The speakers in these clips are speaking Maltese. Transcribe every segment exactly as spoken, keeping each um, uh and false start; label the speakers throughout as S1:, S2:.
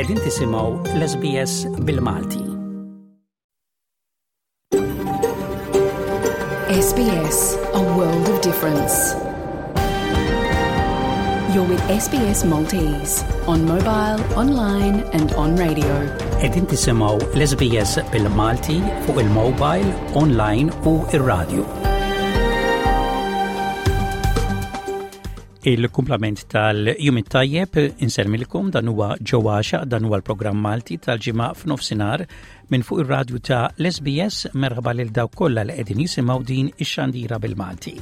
S1: Qegħdin tisimgħu l-S B S bil-Malti.
S2: S B S, a world of difference. You're with S B S Maltese on mobile, online and on radio.
S1: Qegħdin tisimgħu l-S B S bil-Malti fuq il-mobile, online u ir-radio. Il-kumplament tal-jum it-tajjeb, insellmilkom, dan huwa ġewwaxa, dan huwa l-programm Malti tal-Ġimgħa f'nofsinhar minn fuq ir-radju ta' l-S B S. Merħba lil dawk kollha li qegħdin jisimgħu din ix-xandira bil-Malti.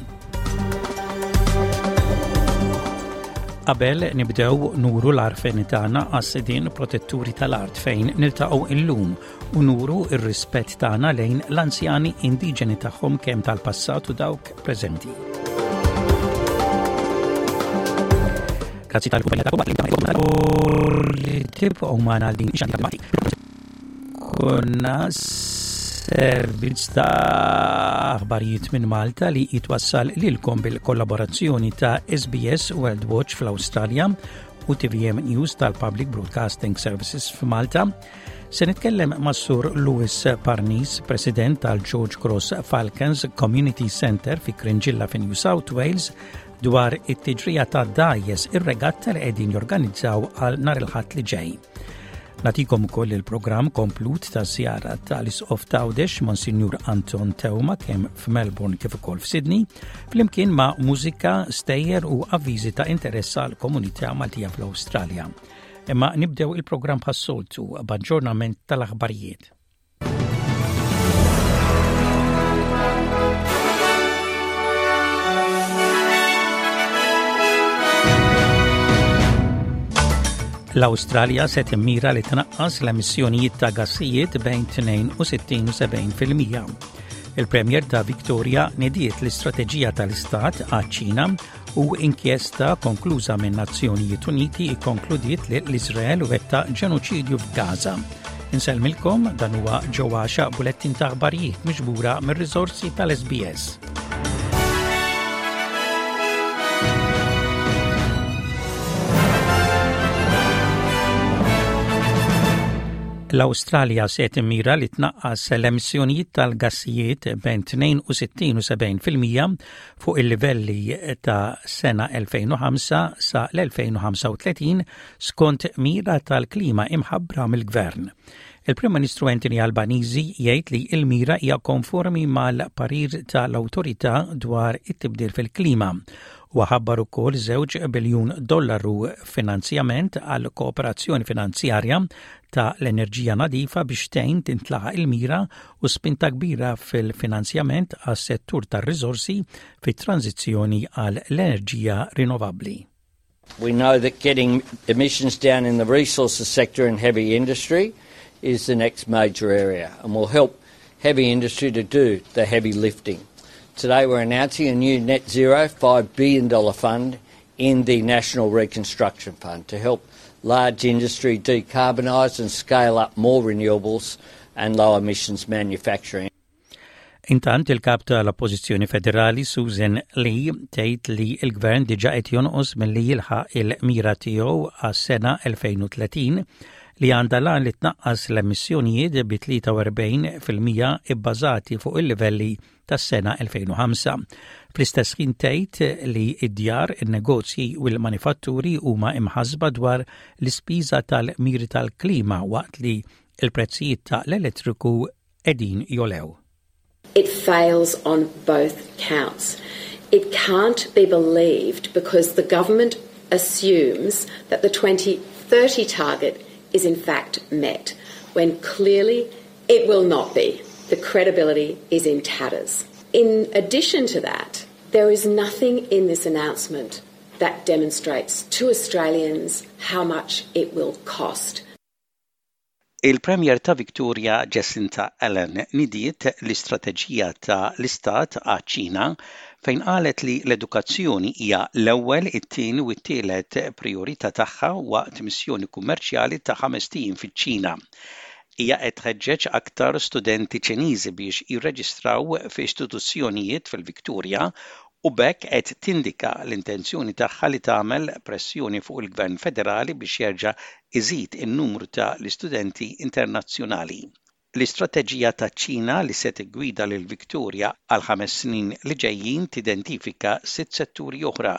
S1: Qabel nibdew, nuru l-għarfien tagħna għas-sidien protetturi tal-art fejn niltaqgħu illum u nuru ir-rispett tagħna lejn l-anzjani indiġeni tagħhom, kemm tal-passat u dawk preżenti. Grazzi tal-kumpanija tagħkom li tibqgħu magħna għal din ix-xandira. Konna servizz ta' aħbarijiet minn Malta li jitwassal lilkom bil-kollaborazzjoni ta' S B S World Watch fl-Awstralja u T V M News tal-Public Broadcasting Services f'Malta. Se nitkellem ma' Sur Louis Parnis, President tal-George Cross Falcons Community Center fi Cringilla fi New South Wales, dwar it-tiġrija ta' dgħajjes, ir-regatta li qegħdin jorganizzaw għal nhar il-Ħadd li ġej. Nagħtikom ukoll il-programm komplut ta' żjara tal-Isqof t'Għawdex, Monsinjur Anton Teuma, kemm f'Melbourne kif ukoll f'Sydney, flimkien ma' mużika, stejjer u avviżi ta' interess għal komunità Maltija fl-Awstralja. Imma nibdew il-programm bħas-soltu b'aġġornament tal-aħbarijiet. L-Awstralja se timmira li tnaqqas l-emissjonijiet ta' gassijiet bejn tnejn u sittin u sebgħin fil-mija. Il-Premier ta' Victoria nediet l-istrateġija tal-Istat għaċ-Ċina u inkjesta konkluża minn Nazzjonijiet Uniti ikkonkludiet li l-Izrael wettaq ġenoċidju f'Gaza. Insellmilkom, dan huwa ġewwaxa, bulettin ta' aħbarijiet miġbura mir-riżorsi tal-S B S. L-Awstralja se timmira li tnaqqas l-emissjonijiet tal-gassijiet bejn tnejn u sittin u sebgħin fil-mija fuq il-livelli ta' sena elfejn u ħamsa sa l-elfejn u ħamsa u tletin, skont mira tal-klima imħabbra mill-gvern. Il-Prim Ministru Anthony Albanese jgħid li il-mira hija konformi mal-parir tal-awtorità dwar it-tibdil fil-klima u ħabbar ukoll żewġ biljun dollaru finanzjament għal kooperazzjoni finanzjarja ta' l-enerġija nadifa biex tgħin tintlaħaq il-mira u spinta kbira fil-finanzjament għas settur tar-riżorsi fit-tranzizzjoni għal l-enerġija rinnovabbli.
S3: We know that getting emissions down in the resources sector and heavy industry is the next major area and will help heavy industry to do the heavy lifting. Today we're announcing a new net zero five billion dollars fund in the National Reconstruction Fund to help large industry decarbonise and scale up more renewables and low emissions manufacturing.
S1: Intant, il-kap tal-Oppożizzjoni Federali Susan Lee tgħid li l-gvern diġà qed jonqos milli jilħaq il-mira tiegħu għas-sena elfejn u tletin, li għandha l-għan li tnaqqas l-emissjonijiet bi tlieta u erbgħin fil-mija ibbażati fuq il-livelli tas-sena elfejn u ħamsa. Fl-istess ħin tgħid li id-djar, in-negozji u l-manifatturi huma imħasba dwar l-ispiża tal-miri tal-klima waqt li il-prezzijiet ta' l-elettriku qegħdin jogħlew.
S4: It fails on both counts. It can't be believed because the government assumes that the twenty thirty target is in fact met, when clearly it will not be. The credibility is in tatters. In addition to that, there is nothing in this announcement that demonstrates to Australians how much it will cost.
S1: Il-Premier ta' Victoria Jacinta Allan nidiet l-istrateġija ta' l-Istat għaċ-Ċina, fejn qalet li l-edukazzjoni hija l-ewwel, it-tieni u t-tielet priorità tagħha waqt missjoni kummerċjali ta' ħamest ijiem fiċ-Ċina. Hija qed tħeġġeġ aktar studenti Ċiniżi biex jirreġistraw fi istituzzjonijiet fil-Viktoria. U b'hekk qed tindika l-intenzjoni tagħha li tagħmel pressjoni fuq il-Gvern Federali biex jerġa' iżid in-numru ta' l-istudenti internazzjonali. L-istrateġija taċ-Ċina li se tiggwida lil Victoria għal ħames snin li ġejjin tidentifika sitt setturi oħra,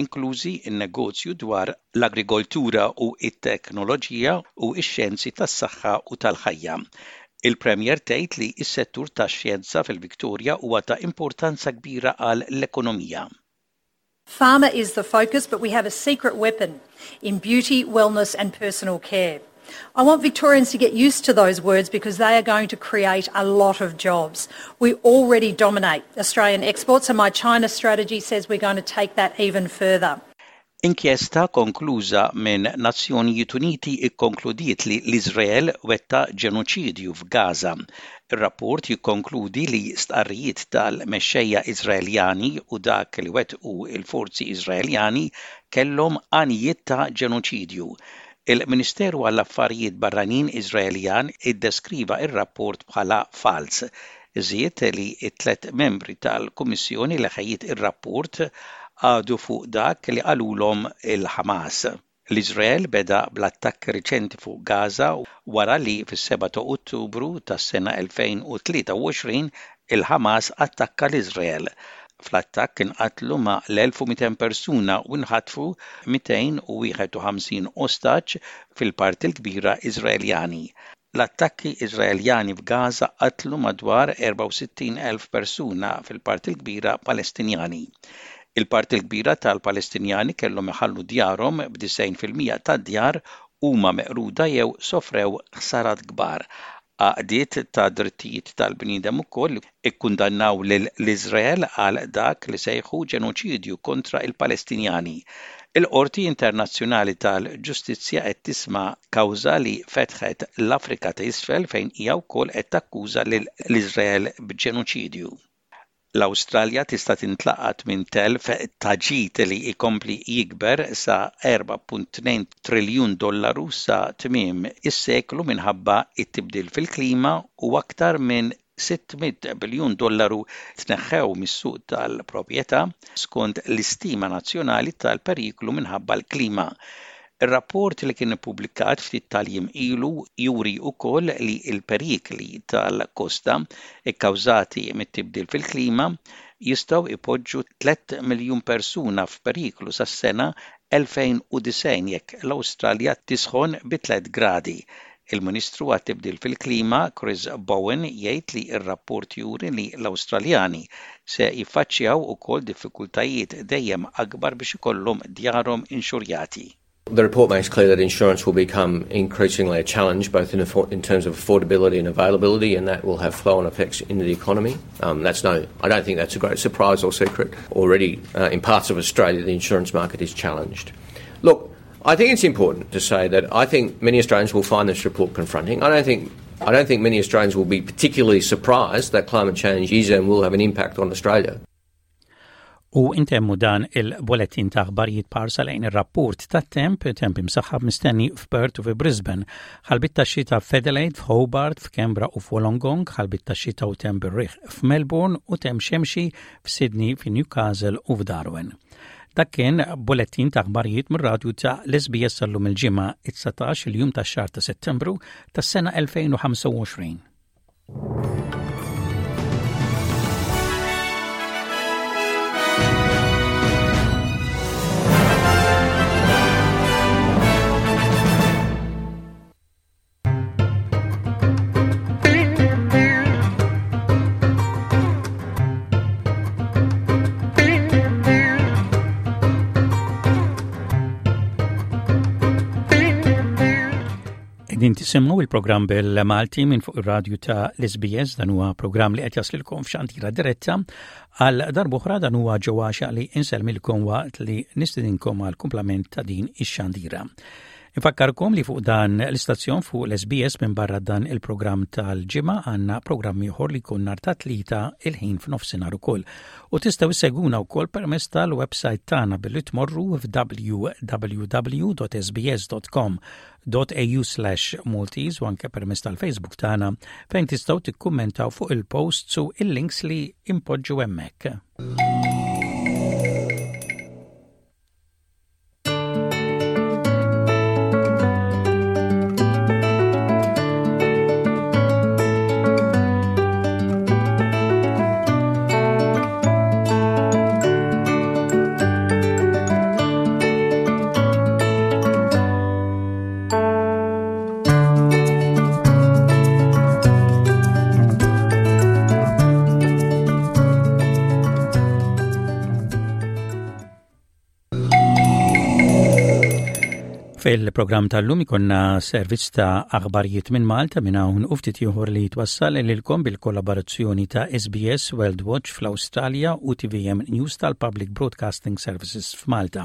S1: inklużi n-negozju dwar l-agrikoltura u t-teknoloġija u x-xjenzi tas-saħħa u tal-ħajja. Il-Premier tgħid li s-settur tax-xjenza fil-Victoria huwa ta' importanza kbira għal l-ekonomija.
S5: Pharma is the focus, but we have a secret weapon in beauty, wellness and personal care. I want Victorians to get used to those words because they are going to create a lot of jobs. We already dominate Australian exports and my China strategy says we're going to take that even further.
S1: Inkjesta konkluża minn Nazzjonijiet Uniti ikkonkludiet li l-Iżrael wettaq ġenoċidju f'Gaza. Ir-rapport jikkonkludi li stqarrijiet tal-mexxejja Iżraeljani u dak li wettqu il-forzi Iżraeljani kellhom għanijiet ta' ġenoċidju. Il-Ministeru għall-Affarijiet Barranin Iżraeljan iddeskriva ir-rapport bħala fals. Żied li t-tlet membri tal-Kummissjoni li ħejjiet ir-rapport għadu fuq dak li qalulhom il-Ħamas. L-Iżrael beda bl-attakki riċenti fuq Gaza wara li fis-seba ta' Ottubru tas-sena elfejn u tlieta u għoxrin il-Ħamas attakka l-Iżrael. Fl-attakk inqatlu ma' l-elf u mitejn persuna u nħatfu mitejn u wieħed u ħamsin ostaġġ, fil-parti l-kbira Iżraeljani. L-attakki Iżraeljani f'Gaza qatlu madwar erbgħa u sittin elf persuna, fil-parti l-kbira Palestinjani. Il-parti l-kbira tal-Palestinjani kellhom iħallu djarhom, b'disgħin fil-mija tad-djar huma meqruda jew sofrew ħsarat kbar. Għaqdiet ta' drittijiet tal-bniedem ukoll ikkundannaw lil l-Iżrael għal dak li sejħu ġenoċidju kontra il-Palestinjani. Il-Qorti Internazzjonali tal-Ġustizzja qed tisma' kawża li fetħet l-Afrika ta' Isfel fejn hija wkoll qed takkuża lil l-Iżrael b'ġenoċidju. L-Awstralja tista' tintlaqat minn telf ta' ġid li jkompli jikber sa erbgħa punt tnejn triljun dollaru sa tmiem is-seklu minħabba it-tibdil fil-klima, u aktar minn sitt mitt biljun dollaru tneħħew mis-suq tal-proprjetà skont l-istima nazzjonali tal-periklu minħabba l-klima. Ir-rapport li kien ippubblikat ftit tal-jiem ilu juri wkoll li l-perikli tal-kosta ikkawżati mit-tibdil fil-klima jistgħu ipoġġu tliet miljun persuna f'periklu sas-sena elfejn u disgħin jekk l-Awstralja tisħon bi tliet gradi. Il-Ministru għat-tibdil fil-klima Chris Bowen jgħid li r-rapport juri li l-Awstraljani se jiffaċċjaw ukoll diffikultajiet dejjem akbar biex ikollhom djarhom inxurjati.
S6: The report makes clear that insurance will become increasingly a challenge, both in, in terms of affordability and availability, and that will have flow-on effects into the economy. Um, that's no, I don't think that's a great surprise or secret. Already, uh, in parts of Australia, the insurance market is challenged. Look, I think it's important to say that I think many Australians will find this report confronting. I don't think I don't think many Australians will be particularly surprised that climate change is and will have an impact on Australia.
S1: U intemmu dan il-bulletin ta' aħbarijiet b'ħarsa lejn ir-rapport ta' temp, temp imsaħħab mistenni f'Perth u fi Brisbane, ħalbiet ta' xita f'Adelaide, f'Hobart, f'Canberra u f'Wollongong, ħalbiet ta' xita u temp bir-riħ f'Melbourne u temp xemxi f'Sydney, f'Newcastle u f'Darwin. Dak kien bulletin ta' aħbarijiet mir-radju ta' l-S B S għal-lum il-Ġimgħa, it-dsatax il-jum tax-xahar ta' Settembru tas-sena elfejn u ħamsa u għoxrin. Din tisimgħu il-programm bil-Malti minn fuq ir-radju ta' l-S B S. Dan huwa programm li qed jaslilkom f'xandira diretta. Għal darb'oħra, dan huwa Joe Axiaq li insellmilkom waqt li nistedinkom għal kumplament ta' din ix-xandira. Infakkarkom li fuq dan l-istazzjon, fuq l-S B S, minn barra dan il-programm tal-Ġimgħa għandna programm ieħor li jkun nhar ta' Tlieta il-ħin f'nofsinhar ukoll. U tistgħu issegwuna wkoll permezz tal-website tagħna billi tmorru f'w w w dot S B S dot com dot A U slash Maltese u anke permezz tal-Facebook tagħna, fejn tistgħu tikkummentaw fuq il-posts u il-links li impoġġu hemmhekk. Fil-programm tal-lum ikollna servizz ta' aħbarijiet minn Malta minn hawn u ftit ieħor li jitwassal lilkom bil-kollaborazzjoni ta' S B S World Watch fl-Awstralja u T V M News tal-Public Broadcasting Services f'Malta.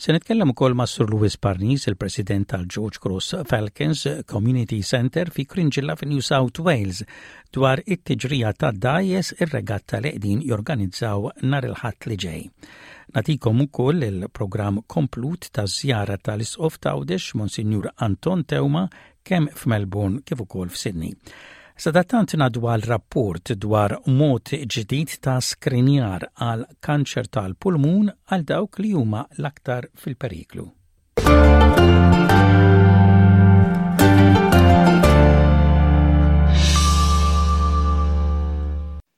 S1: Se nitkellem ukoll ma' Sur Louis Parnis, il-President tal-George Cross Falcons Community Center fi Cringilla fi New South Wales, dwar it-tiġrija ta' dgħajjes, ir-regatta li qegħdin jorganizzaw nhar il-Ħadd li ġej. Nagħtikom ukoll il-programm komplut ta' żjara tal-Isqof t'Għawdex Monsinjur Anton Teuma kemm f'Melbourne kif ukoll f'Sydney. Sadattant ngħaddu għal rapport dwar mod ġdid ta' skrinjar għal kanċer tal-pulmun għal dawk li huma l-aktar fil-periklu.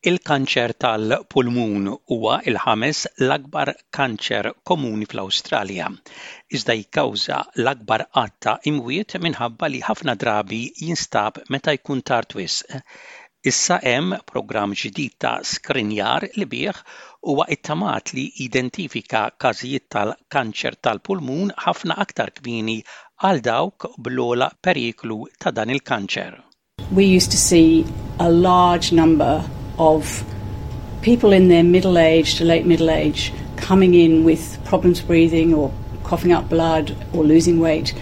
S1: Il-kanċer tal-pulmun huwa il-ħames l-akbar kanċer komuni fl-Awstralja, iżda jikkawża l-akbar għadd ta' imwiet minħabba li ħafna drabi jinstab meta jkun tard wisq. Issa hemm programm ġdid ta' skrinjar li bih huwa ittamat li identifika każijiet tal-kanċer tal-pulmun ħafna aktar kmieni għal dawk bl-ogħla periklu ta' dan il-kanċer.
S2: We used to see a large number of people in their middle age to late middle age coming in with problems breathing or coughing up blood or losing weight,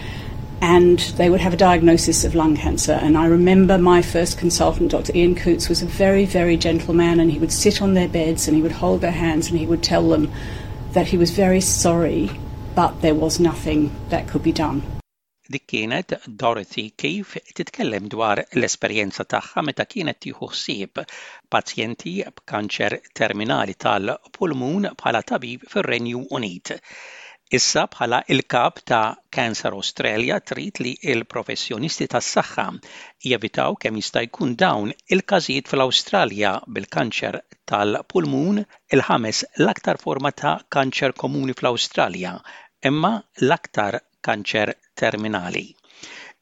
S2: and they would have a diagnosis of lung cancer. And I remember my first consultant, Doctor Ian Coots, was a very, very gentle man, and he would sit on their beds and he would hold their hands and he would tell them that he was very sorry, but there was nothing that could be done.
S1: Dik kienet Dorothy Keefe titkellem dwar l-esperjenza tagħha meta kienet tieħu ħsieb pazjenti b'kanċer terminali tal-pulmun bħala tabib fir-Renju Unit. Issa bħala il-kap ta' Cancer Australia trid li il-professjonisti tas-saħħa jevitaw kemm jista' jkun dawn il-każijiet fl-Awstralja, bil-kanċer tal-pulmun il-ħames l-aktar forma ta' kanċer komuni fl-Awstralja, imma l-aktar kanċer terminali.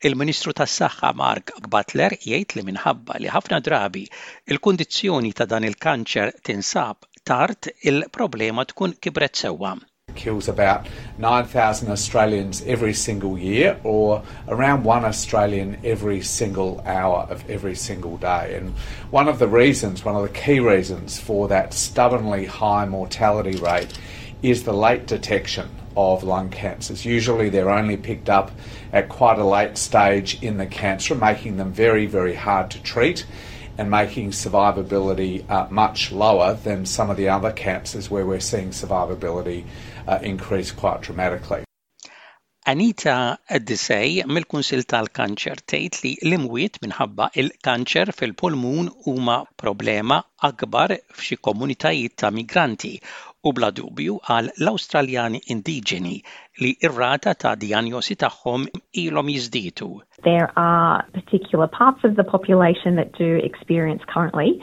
S1: Il-Ministru tas-Saħħa Mark Butler jgħid li minħabba li ħafna drabi il-kundizzjoni ta' dan il-kanċer tinsab tard, il-problema tkun kibret sewwa.
S7: Kills about nine thousand Australians every single year, or around one Australian every single hour of every single day. And one of the reasons, one of the key reasons for that stubbornly high mortality rate is the late detection of lung cancers. Usually they're only picked up at quite a late stage in the cancer, making them very, very hard to treat and making survivability uh, much lower than some of the other cancers where we're seeing survivability uh, increase quite dramatically.
S1: Anita Desai mill-Kunsil tal-Kanċer tgħid li l-imwiet minħabba il-kanċer fil-pulmun huma problema akbar f'xi komunitajiet ta' migranti u bla dubju għal l-Awstraljani indiġeni li ir-rata ta' dijanjosi tagħhom ilhom jiżdiedu.
S8: There are particular parts of the population that do experience currently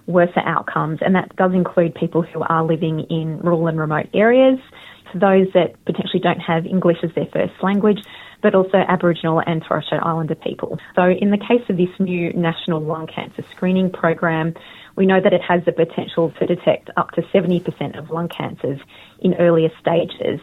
S8: worse outcomes, and that does include people who are living in rural and remote areas, for those that potentially don't have English as their first language, but also Aboriginal and Torres Strait Islander people. So, in the case of this new national lung cancer screening program, we know that it has the potential to detect up to seventy percent of lung cancers in earlier stages.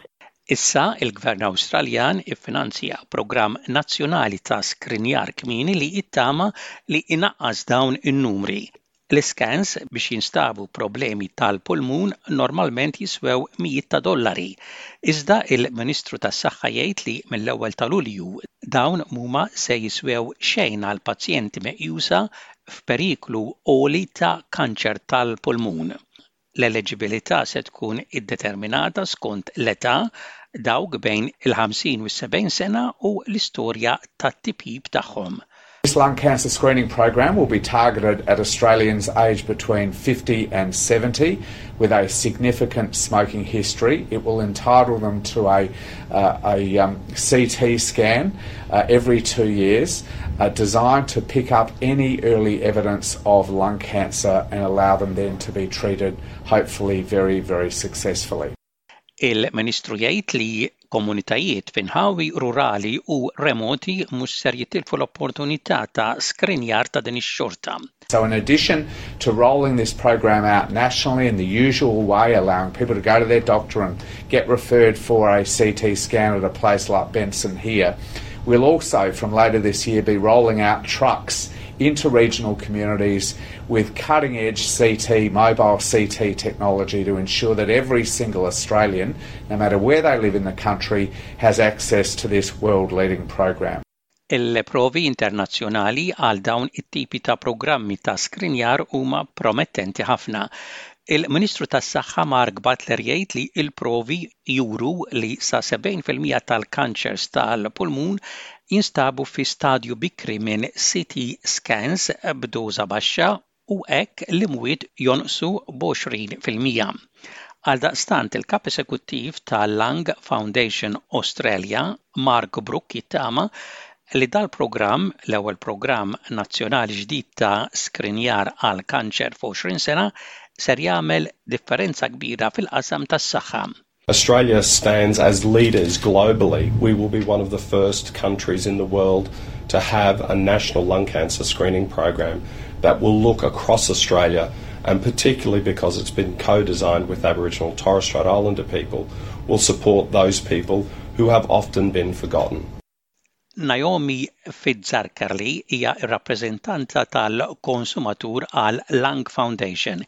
S1: Issa il-Gvern Awstraljan iffinanzja programm nazzjonali ta' skrinjar kmieni li jittama li inaqqas dawn in-numri. L-iskans biex jinstabu problemi tal-pulmun normalment jiswew mijiet ta' dollari. Iżda il-Ministru tas-Saħħa jgħid li mill-ewwel ta' Lulju dawn mhuma se jiswew xejn għal pazjenti meqjusa f'periklu għoli ta' kanċer tal-pulmun. L-eliġibilità se tkun iddeterminata skont l-età, dawk bejn il-ħamsin u s-sebgħin sena, u l-istorja tat-tipjip tagħhom.
S7: This lung cancer screening program will be targeted at Australians aged between fifty and seventy with a significant smoking history. It will entitle them to a, uh, a um, C T scan uh, every two years uh, designed to pick up any early evidence of lung cancer and allow them then to be treated, hopefully very, very successfully.
S1: Il-Ministru jgħid li Komunitajiet f'inħawi rurali u remoti mhux ser jitilfu l-opportunità ta' skrinjar ta' din ix-xorta.
S7: So in addition to rolling this program out nationally in the usual way, allowing people to go to their doctor and get referred for a C T scan at a place like Benson here, we'll also, from later this year, be rolling out trucks into regional communities with cutting edge C T, mobile C T technology to ensure that every single Australian, no matter where they live in the country, has access to this world leading program.
S1: Il-provi internazzjonali għal dawn it-tipi ta' programmi ta' skrinjar huma promettenti ħafna. Il-Ministru tas-Saħħa Mark Butler jgħid li il-provi juru li sa sebgħin fil-mija tal-kanċers tal-pulmun jinstabu fi stadju bikri minn C T scans b'doża baxxa u hekk l-imwiet jonqsu b'għoxrin fil-mija. Għaldaqstant, il-kap esekuttiv tal-Lung Foundation Australia, Mark Brook, jittama li dal-programm, l-ewwel programm nazzjonali ġdid ta' skrinjar għal kanċer f'għoxrin sena, ser jagħmel differenza kbira fil-qasam tas-saħħa.
S9: Australia stands as leaders globally. We will be one of the first countries in the world to have a national lung cancer screening program that will look across Australia, and particularly because it's been co-designed with Aboriginal and Torres Strait Islander people, will support those people who have often been forgotten.
S1: Naomi Fitzarkarli hija r-rappreżentanta tal-konsumatur għal Lung Foundation.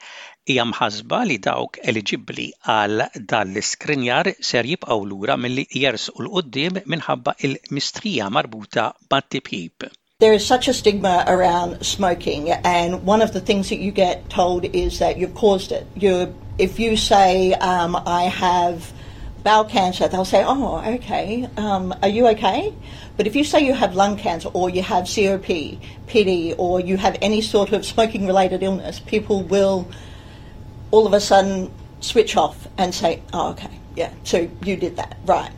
S1: Hija mħasba li dawk eliġibbli għal dan l-iskrinjar ser jibqgħu lura milli jersqu 'l quddiem minħabba il-mistrija marbuta mat-tipjip.
S10: There is such a stigma around smoking, and one of the things that you get told is that you've caused it. You're, if you say, um, "I have bowel cancer," they'll say, "Oh, okay, um, are you okay?" But if you say you have lung cancer or you have C O P D or you have any sort of smoking related illness, people will all of a sudden switch off and say, "Oh, okay, yeah, so you did that, right."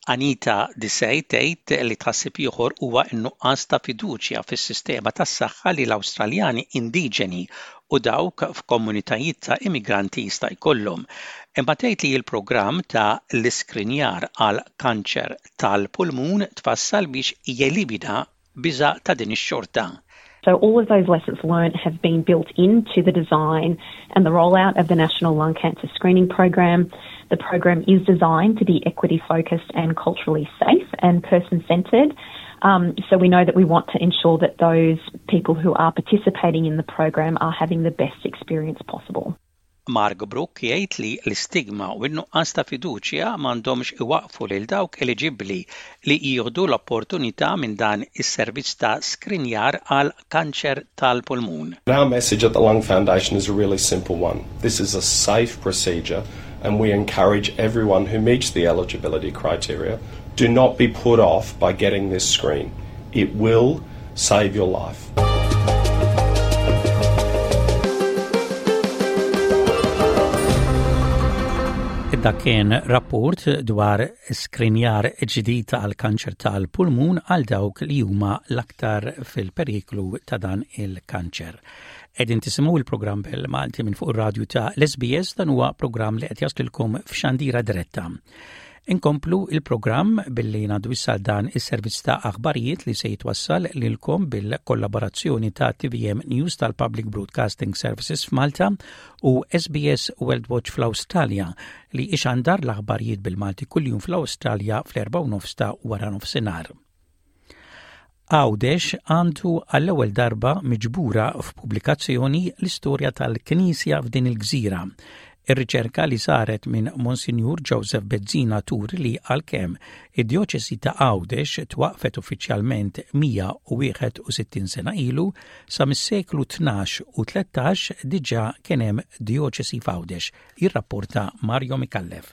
S1: Anita Disej tgħid li tħassib ieħor huwa n-nuqqas ta' fiduċja fis-sistema tas-saħħa li l-Awstraljani indiġeni u dawk f'komunitajiet ta' immigranti jista' jkollhom. Imma tgħid li l-programm ta' l-iskrinjar għal kanċer tal-pulmun tfassal biex jelimina biża' ta' din ix-xorta.
S8: So all of those lessons learned have been built into the design and the rollout of the National Lung Cancer Screening Program. The program is designed to be equity focused and culturally safe and person centred. Um, so we know that we want to ensure that those people who are participating in the program are having the best experience possible.
S1: Mark Brook jgħid li l-istigma u n-nuqqas ta' fiduċja m'għandhomx iwaqfu lil dawk eliġibbli li jieħdu l-opportunità minn dan is-servizz ta' skrinjar għal kanċer tal-pulmun.
S9: Our message at the Lung Foundation is a really simple one. This is a safe procedure, and we encourage everyone who meets the eligibility criteria, do not be put off by getting this screen. It will save your life.
S1: Dak kien rapport dwar skrinjar ġdid għal kanċer tal-pulmun għal dawk li huma l-aktar fil-periklu ta' dan il-kanċer. Qegħdin tisimgħu il-programm bil-Malti minn fuq ir-radju ta' l-S B S. Dan huwa programm li qed jaslilkom f'xandira diretta. Inkomplu il-programm billi ngħaddu issa dan is-servizz ta' aħbarijiet li se jitwassal lilkom bil-kollaborazzjoni ta' T V M News tal-Public Broadcasting Services f'Malta u S B S World Watch fl-Awstralja, li ixandar l-aħbarijiet bil-Malti kuljum fl-Awstralja fl-erba' u nofs ta' wara nofsinhar. Għawdex għandu għall-ewwel darba miġbura f'pubblikazzjoni l-istorja tal-Knisja f'din il-gżira. Ir-riċerka li saret minn Monsignor Joseph Bezzina turi li għalkemm id-djoċesi ta' Għawdex twaqfet uffiċjalment mija u wieħed u sittin sena ilu, sa mis-seklu tnax u tlettax diġà kien hemm djoċesi f'Għawdex, jirrapporta Mario Micallef.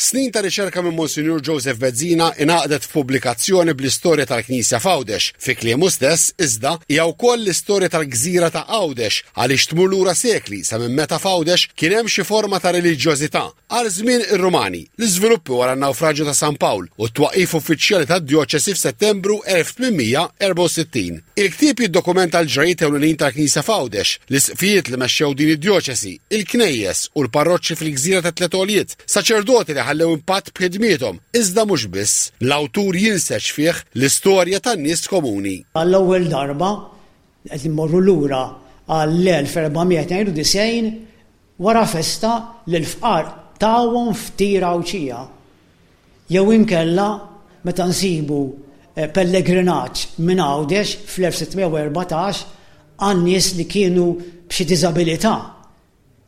S11: Snin ta' riċerka minn Monsignor Joseph Bezzina ingħaqdet f'pubblikazzjoni bl-istorja tal-Knisja f'Għawdex. Fi kliemu stess, iżda, hija wkoll l-istorja tal-gżira ta' Għawdex, għaliex tmur lura sekli sa minn meta f'Għawdex kien hemm xi forma ta' reliġjożità. Għal żmien ir-Rumani, l-iżviluppi wara n-nawfraġġju ta' San Pawl u t-twaqif uffiċjali tad-djoċesi f'Settembru elf tmien mija erbgħa u sittin. Il-ktieb jiddokumenta l-ġrajiet ewlenin tal-Knisja f'Għawdex, l-isqfijiet li mexxew din id-djoċesi, il-knejjes u l-parroċċi fil-gżira ta' Tliet Għoljiet, saċerdoti li li ħallew impatt b'ħidmiethom, iżda mhux biss, l-awtur jinseġ fih l-istorja tan-nies komuni.
S12: Għall-ewwel darba qed immorru lura għall-elf erba' mija tnejn u disgħin, wara festa li l-fqar tawhom ftira Għawdxija. Jew inkella meta nsibu eh, pellegrinaġġ minn Għawdex fl-elf sitt mija u erbatax għan-nies li kienu b'xi diżabilità.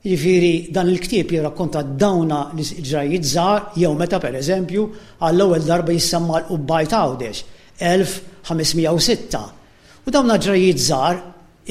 S12: Jiġifieri dan il-ktieb jirrakkonta dawna l-ġrajiet żgħar, jew meta, pereżempju, għall-ewwel darba jissemma l-Qubbaj t'Għawdex elf ħames mija u sitta. U dawna ġrajiet żgħar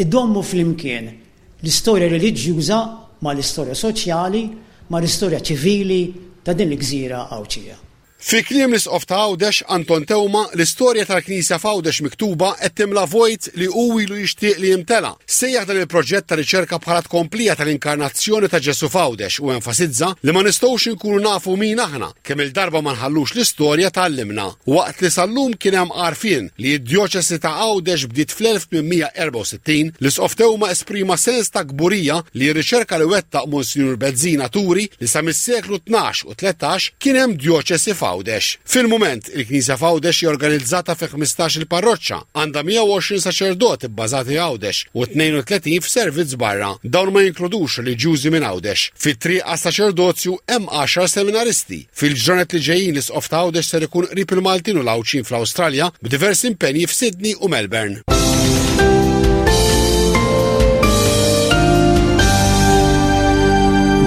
S12: idommu flimkien l-istorja reliġjuża ma l-istorja soċjali ma l-istorja ċivili ta' din il-gżira Għawdxija.
S11: Fi kliem l-Isqof ta' Għawdex Anton Teuma, l-istorja tal-Knisja f'Għawdex miktuba qed timla vojt li hu ilu jixtieq li jimtela. Sejjaħ dan il-proġett ta' riċerka bħala tkomplija tal-inkarnazzjoni ta' Ġesu f'Għawdex u enfasizza li ma nistgħux inkunu nafu min aħna kemm il-darba ma nħallux l-istorja tgħallimna. Waqt li sal-lum kien hemm għarfien li d-djoċesi ta' Għawdex bdiet fl-elf tmien mija erbgħa u sittin, l-Isqof Teuma esprima sens ta' kburija li r-riċerka li wettaq Monsinjur Bezzina turi li sa mis-seklu tnax u tlettax kien hemm djoċesi f'Għawdex. Fil-moment, il-Knisja f'Għawdex hija organizzata fi ħmistax il-parroċċa, għandha mija u għoxrin saċerdot ibbażati Għawdex u tnejn u tletin f'servizz barra. Dawn ma jinkludux reliġjużi minn Għawdex. Fit-triq għas-saċerdozju hemm għaxar seminaristi. Fil-ġranet li ġejjin, l-Isqof ta' Għawdex ser ikun qrib il-Maltin u l-Għawdxin fl-Awstralja b'diversi impenji f'Sydney u Melbourne.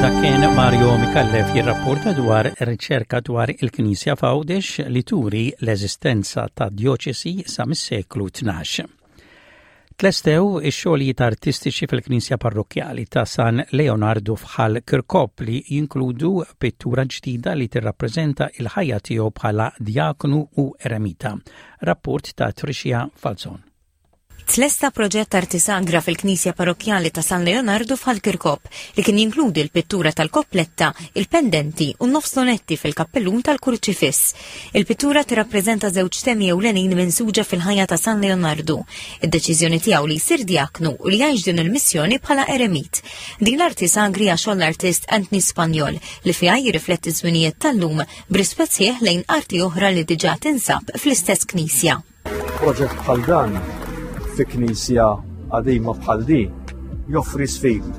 S1: Dak kien Mario Micallef jirrapporta dwar riċerka dwar il-Knisja f'Għawdex li turi l-eżistenza ta' djoċesi sa mis-seklu tnax. Tlestew ix-xogħlijiet artistiċi fil-Knisja Parrokkjali ta' San Leonardo f'Ħal Kirkop li jinkludu pittura ġdida li tirrappreżenta il-ħajja tiegħu bħala diaknu u eremita. Rapport ta' Tricia Falzon.
S13: Tlesta proġett arti sagra fil-Knisja Parrokkjali ta' San Leonardo f'Ħal Kirkop li kien jinkludi l-pittura tal-koppletta, il-pendenti u nofs lunetti fil-kappellun tal-Kurċifiss. Il-pittura tirrappreżenta żewġ temi ewlenin minsuġa fil-ħajja ta' San Leonardo: id-deċiżjoni tiegħu li jsir diaknu u li jgħix din il-missjoni bħala eremit. Din l-arti sagra hija xogħol l-artist Anthony Spanjol li fiha jirrifletti żminijiet tal-lum b'rispett sħiħ lejn arti oħra li diġà tinsab fl-istess knisja.
S14: Proġett bħal dan fi knisja qadima bħal di joffri sfidi.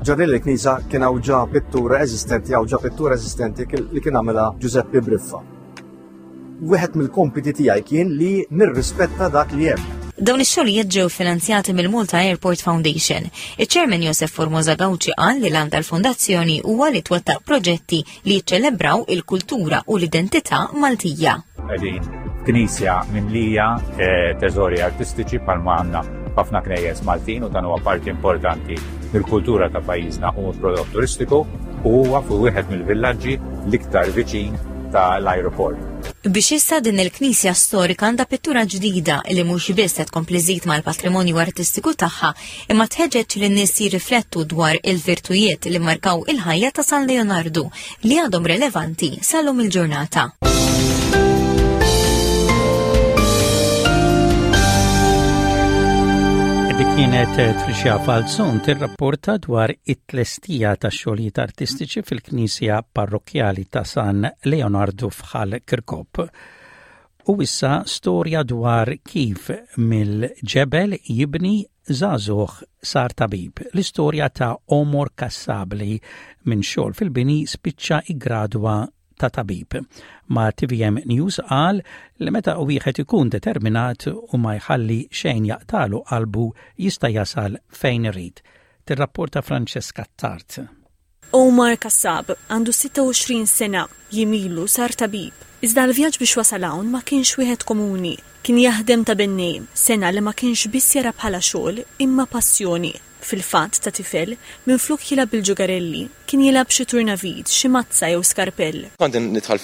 S14: Ġo din il-knisja kien hawn ġa pittura eżistenti, hawn ġa pittura eżistenti li kien għamilha Giuseppe Briffa. Wieħed mill-kompiti tiegħi kien li nirrispetta dak li hemm.
S13: Dawn ix-xogħlijiet ġew finanzjati mill-Malta Airport Foundation. Iċ-Chairman Josef Formosa Gauci qal li l tal-fondazzjoni huwa li twettaq proġetti li jiċċelebraw il-kultura u l-identità Maltija.
S15: Qegħdin knisja mimlija eh, teżori artistiċi bħalma għandna ħafna knejjes Maltin, u dan huwa parti importanti mill-kultura ta' pajjiżna u prodott turistiku, u huwa fuq wieħed mill-villaġġi l-iktar viċin tal-aeroport.
S13: Biex issa din il-knisja storika għandha pittura ġdida li mhux biss qed tkompli żżid mal-patrimonju artistiku tagħha, imma tħeġġeġ lin nies jirriflettu dwar il-virtujiet li markaw il-ħajja ta' San Leonardo li għadhom relevanti sal-lum il-ġurnata.
S1: Dik kienet Tricia Falzon tirrapporta dwar it-tlestija ta' xogħlijiet artistiċi fil-Knisja Parrokkjali ta' San Leonardo f'Ħal Kirkop. U issa storja dwar kif mill-ġebel jibni żagħżugħ sar tabib. L-istorja ta' Omar Kassab li minn xogħol fil-bini spiċċa iggradwa ta' tabib. Ma' T V M News qal li meta wieħed ikun determinat u ma jħalli xejn jaqtalu qalbu, jista' jasal fejn irid. Tirrapporta Francesca Tart.
S16: Omar Kassab għandu sitta u għoxrin sena, jiem ilu sar tabib. Iżda l-vjaġġ biex wasal hawn ma kienx wieħed komuni. Kien jaħdem ta' bennej, sengħa li ma kienx biss jara bħala xogħol imma passjoni. Fil-fatt ta' tifel, minflok jilgħab bil-ġugarelli, kien jilgħab xi turnavid, xi mazza jew skarpell.
S17: Kont nidħol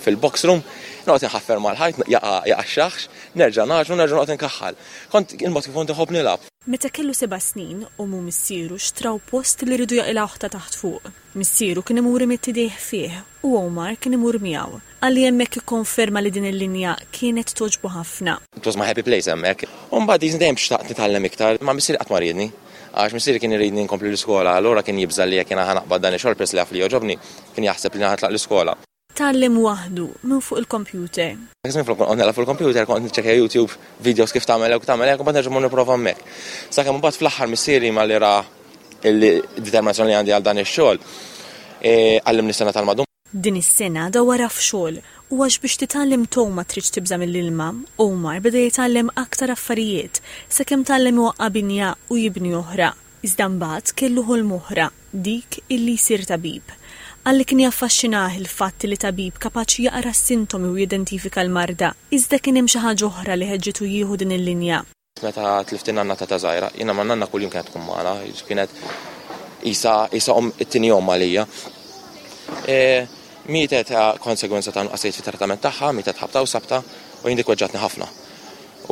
S17: fil-box room, noqgħod inħaffer mal-ħajt, jaqa' x-xaħx, nerġa' nagħġnu, nerġa' noqgħod inkaħħal. Kont il-mod kif kont inħobb nilgħab.
S16: Meta kellu seba' snin, ommu u missieru xtraw post li riedu jaqilgħuh ta' taħt fuq. Missieru kien imur imidd idejh fih u Omar kien imur miegħu. Qalli hemmhekk ikkonferma li din il-linja kienet togħġbu ħafna.
S17: It was my happy place hemmhekk. U mbagħad dejjem xtaqt nitgħallem iktar, ma missieri qatt ma riedni. Għax missieri kien iridni nkompli l-iskola, allura kien jibża' li jekk jiena ħa naqbad dan ix-xogħol peress li jaf li jogħġobni, kien jaħseb li ħa nitlaq l-iskola.
S16: Tgħallem waħdu minn fuq il-kompjuter.
S17: Dak iż-żmien flok kont nilgħab fuq il-kompjuter kont niċċekkja YouTube videos kif tagħmel hekk u tagħmel hekk u mbagħad nerġa' mmur nipprova hemmhekk. Sakemm imbagħad fl-aħħar missieri malli ra il-determinazzjoni li għandi għal dan ix-xogħol, għallimni s-sengħa tal-madum.
S16: Din is-sena dawwarha f'xogħol u għax biex titgħallem tgħum ma tridx tibża' mill-ilma, Omar beda jitgħallem aktar affarijiet sakemm tgħallem iwaqqa' binja u jibni oħra. Iżda mbagħad kellu ħolm oħra, dik illi jsir tabib. Qal li kien jaffaxxinah il-fatt li tabib kapaċi jaqra s-sintomi u jidentifika l-marda, iżda kien hemm xi ħaġa oħra li ħeġġitu jieħu din il-linja.
S17: Meta tlift in-nanna ta' ta' żgħira, jiena ma' nanna kuljum kienet tkun magħna, kienet isa isa omm it-tieni omm għalija. E, mietet konsegwenza ta' nuqqasijiet fit-trattament tagħha, mietet ħabta u sabta u jien dik weġġatni ħafna.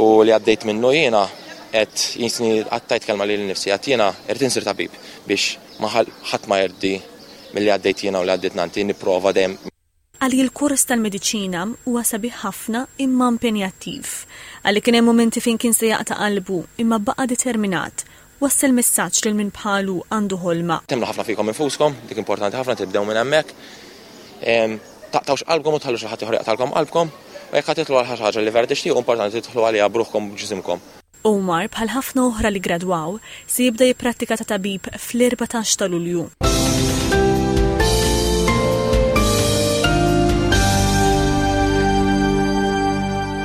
S17: U li għaddejt minnu jiena qed jinsni għattajt kelma lili nnifsi, għedt jiena irrid insir tabib biex ma ħadd ma jgħaddi milli għaddejt jiena u li għaddiet nannti, nipprova dejjem.
S16: Qal li l-kors tal-mediċina huwa sabiħ ħafna imma impenjattiv. Qal li kien hemm momenti fejn kien se jaqta' qalbu imma baqa' determinat. Wassal messaġġ lil min bħalu għandu ħolma.
S17: Temmnu ħafna fikom infuskom, dik importanti ħafna tibdew minn hemmhekk. Taqtawx qalbkom u tħallu xi ħadd ieħor jaqtalkom qalbkom, u jekk ħa tidħlu għal xi ħaġa li vera tixtiequ, importanti tidħlu għaliha b'ruħkom u b'ġisimkom.
S16: Omar bħal ħafna oħra li gradwaw se jibda jipprattika ta' tabib fl-erbatax ta' Lulju.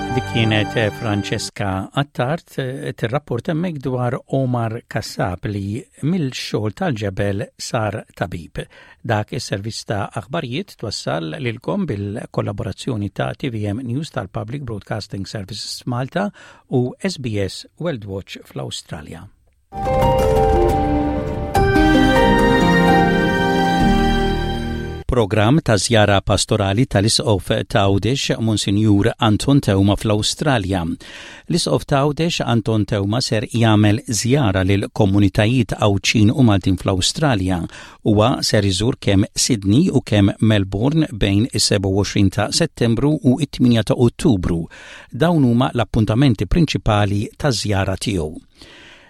S1: Dik kienet Francesca Attard tirrapport hemmhekk dwar Omar Kassab li mill-xogħol tal-ġebel sar tabib. Dak is-servizz ta' aħbarijiet twassal lilkom bil-kollaborazzjoni ta' T V M News tal-Public Broadcasting Services Malta u S B S World Watch fl-Awstralja. Programm ta' żjara pastorali tal-Isqof t'Għawdex Monsinjur Anton Teuma fl-Awstralja. L-Isqof t'Għawdex Anton Teuma ser jagħmel żjara lil komunitajiet Għawdxin u Maltin fl-Awstralja. Huwa ser iżur kemm Sydney u kemm Melbourne bejn is-sebgħa u għoxrin ta' Settembru u it-tmienja ta' Ottubru. Dawn huma l-appuntamenti prinċipali ta' żjara tiegħu.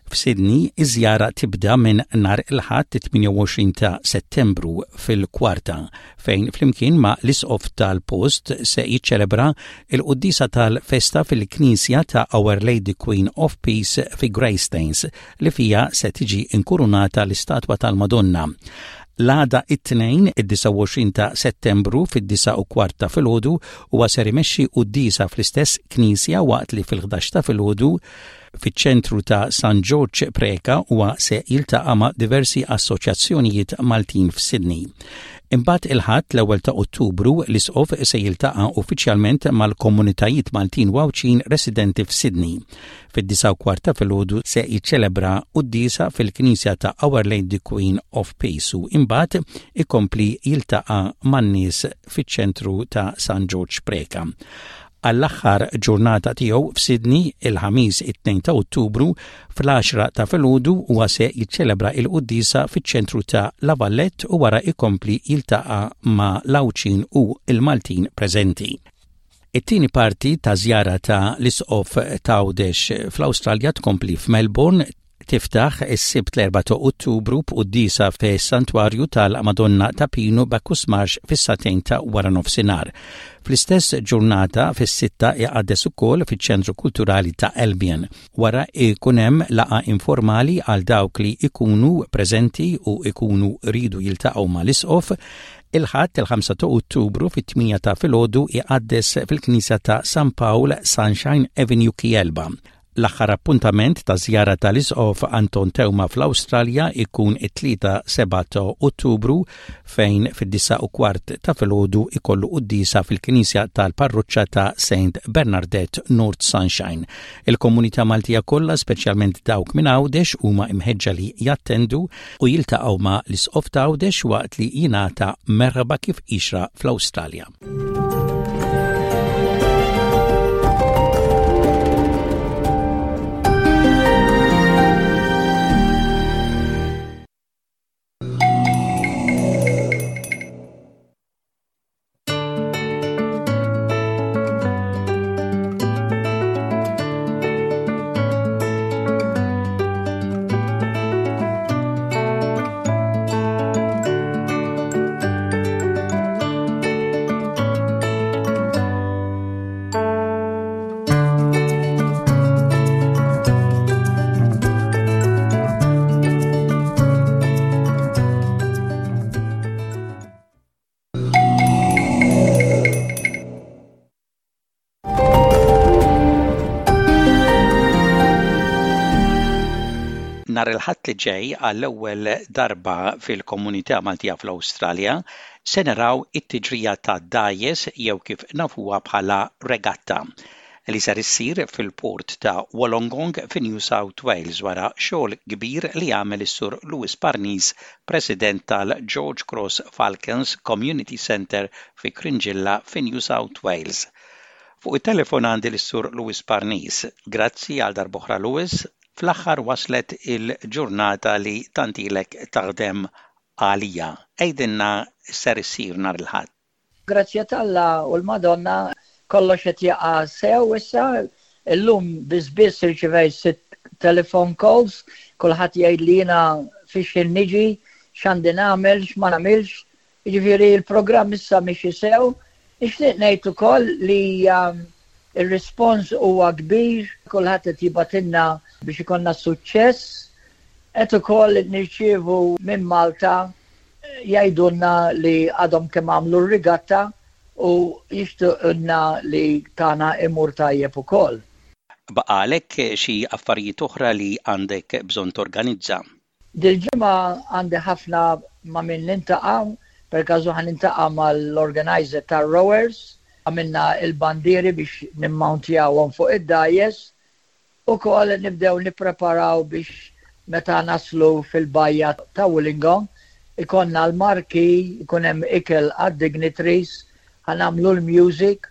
S1: F'Sydney, iż-żjara tibda minn nhar il-Ħadd tmienja u għoxrin ta' Settembru fil-kwarta, fejn flimkien ma' l-isqof tal-post se jiċċelebra il-quddisa tal-festa fil-Knisja ta' Our Lady Queen of Peace fi Greystanes, li fija se tiġi inkurunata l-istatwa tal-Madonna. L-għada, it-Tnejn, id-disgħa u għoxrin ta' Settembru, fid-disgħa u kwart ta' filgħodu huwa ser imexxi quddiesa fl-istess knisja, waqt li fil-ħdax ta' filgħodu fiċ-ċentru ta' San George Preka huwa se jiltaqa' ma' diversi assoċjazzjonijiet Maltin f'Sydney. Imbagħad il-Ħadd l-ewwel ta' Ottubru l-Isqof se jiltaqa' uffiċjalment mal-komunitajiet Maltin u Għawdxin residenti f'Sydney. Fid-disgħa u kwart ta' filgħodu se jiċċelebra quddiesa fil-Knisja ta' Our Lady Queen of Peace u imbagħad ikompli jiltaqa' man-nies fiċ-ċentru ta' San George Preka. Għall-aħħar ġurnata tiegħu f'Sydney, il-Ħamis it-tnejn ta' Ottubru, fl-għaxra ta' filgħodu huwa se jiċċelebra il-quddiesa fiċ-ċentru ta' La Vallette u wara ikompli jiltaqa' ma' l-Għawdxin u il-Maltin preżenti. It-tieni parti ta' żjara ta' l-Isqof t'Għawdex fl-Awstralja tkompli f'Melbourne, tiftaħ is-Sibt l-erbgħa ta' Ottubru b'quddiesa fis-Santwarju tal-Madonna ta' Pinu Bacchus Marsh fis-sagħtejn ta' wara nofsinhar. Fl-istess ġurnata fis-sitta iqaddes ukoll fiċ-Ċentru Kulturali ta' Albion. Wara ikun hemm laqgħa informali għal dawk li ikunu preżenti u ikunu ridu jiltaqgħu mal-Isqof. Il-Ħadd il-ħamsa ta' Ottubru fit-tmienja ta' filgħodu iqaddes fil-Knisja ta' San Pawl, Sunshine Avenue, Kiyelba. L-aħħar appuntament ta' żjara tal-Isqof Anton Teuma fl-Awstralja ikun it-Tlieta sebgħa ta' Ottubru, fejn fid-disgħa u kwart ta' filgħodu ikollu quddiesa fil-Knisja tal-Parroċċa ta' Saint Bernadette, North Sunshine. Il-komunità Maltija kollha, speċjalment dawk minn Għawdex, huma imħeġġa li jattendu u jiltaqgħu ma' l-Isqof ta' Għawdex waqt li jingħata merħba kif jixraq fl-Awstralja. Nhar il-Ħadd li ġej, għall-ewwel darba fil-komunità Maltija fl-Awstralja, se naraw it-tiġrija ta' dgħajjes, jew kif nafuha bħala regatta, li ser issir fil-port ta' Wollongong fi New South Wales, wara xogħol kbir li għamel is-Sur Louis Parnis, President tal-George Cross Falcons Community Centre fi Cringilla fi New South Wales. Fuq it-telefon għandi l-Sur Louis Parnis. Grazzi għal darb'oħra, Louis. Fl-aħħar waslet il-ġurnata li tant ilek taħdem għalija. Għidilna ser issir nhar il-Ħadd.
S18: Grazzja t'Alla u l-Madonna, kollox qed jaqa' sew issa. Illum biss biss irċivejt sitt telephone calls, kulħadd jgħid li jiena fiex niġi, x'għandi nagħmel, x'ma nagħmilx. Jiġifieri l-programm issa miexi sew. Nixtieq ngħid ukoll li um, ir-rispons huwa kbir, kulħadd qed jibgħatilna biex ikollna suċċess. Qed ukoll nirċievu minn Malta, jgħidulna li għadhom kemm għamlu r-rigatta u jixtuqna li tagħna imur tajjeb ukoll.
S1: Baqalek xi affarijiet oħra li għandek bżonn torganizza?
S18: Dil-ġimgħa għandi ħafna ma' min niltaqa', per każu ħa niltaqa' mal-organizer tar-rowers, għamilna il-bandiri biex nimmountjawhom fuq id-dgħajjes, ukoll nibdew nippreparaw biex meta naslu fil-bajja ta' Wollongong, ikollna l-marquee, ikun hemm ikel għad-dignitaries, ħa nagħmlu l-music,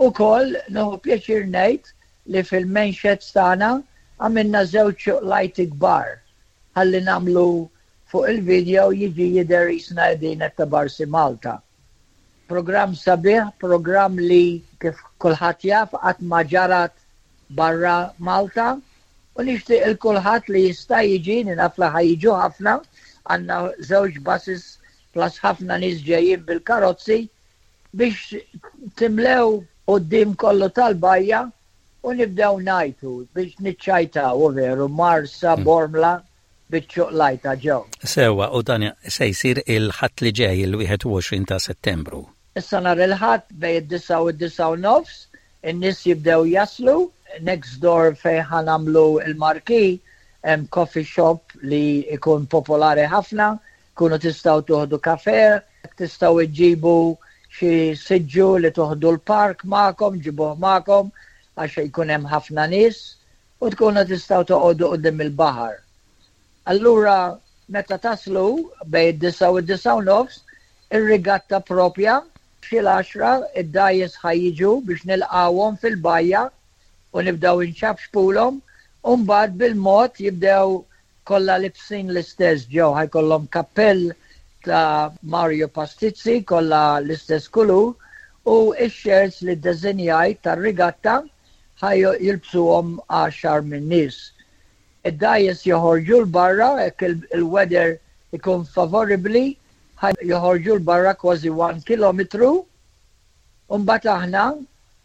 S18: ukoll nieħu pjaċir ngħid li fil-main sheds tagħna għamilna żewġ light kbar ħalli nagħmlu fuq il-video jiġi jidher qisna qegħdin ta' Barsi Malta. Program sabiħ, program li kif kulħadd jaf qatt ma ġarat barra Malta, u nixtieq il kulħadd li jista' jiġi, naf li ħa jiġu ħafna, għandna żewġ buses plus ħafna nies ġejjin bil-karozzi biex timlew quddiem kollu tal-bajja u nibdew ngħajtu biex niċċajtaw u veru Marsa, mm. Bormla, biċ-ċuqlajta ġew.
S1: Sewa, u dan se jsir il-Ħadd li ġej, il-wieħed u għoxrin ta' Settembru.
S18: Issa nhar il-Ħadd bejn id-disgħa u d-disgħa u nofs, in-nies jibdew jaslu, next door fejn ħa nagħmlu il-marquee, hemm coffee shop li ikun popolari ħafna, kunu tistgħu tuħdu kafe, tistgħu iġibu xi siġġu li tuħdu l-park magħkom, ġibuh magħkom, għax jkun hemm ħafna nies, u tkunu tistgħu toqogħdu quddiem il-baħar. Allura, meta taslu bejn id-disgħa u d-disgħa u nofs, ir-rigatta propja, xi l-għaxra id-dgħajjes ħa jiġu biex nilqawhom fil-bajja u nibdew inċapxpulhom, u mbagħad bil-mod jibdew kollha libsin l-istess ġew, ħa jkollhom kappell ta' Mario Pastizzi kollha l-istess kulur u x-shirts li ddeżinjajt tar-rigatta ħa jilbsuhom għaxar minn nies. Id-dgħajjes joħorġu 'l barra, jekk il-weather ikun favoribli, joħorġu 'l barra kważi one kilometru. Mbagħad aħna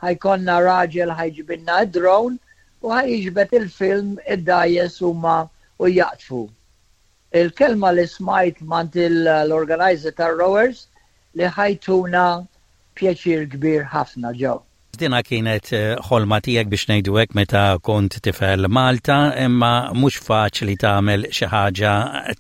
S18: ħa jkollna raġel ħa jġibilna drone u ħa jiġbed il-film id-dgħajjes huma u jaqtfu. Il-kelma li smajt mingħand l-organizer tar-rowers li ħa jtuna pjaċir kbir ħafna ġew.
S1: Dina kienet eh, ħolma tiegħek, biex ngħidu hekk, meta kont tifel Malta, imma mhux faċli tagħmel xi ħaġa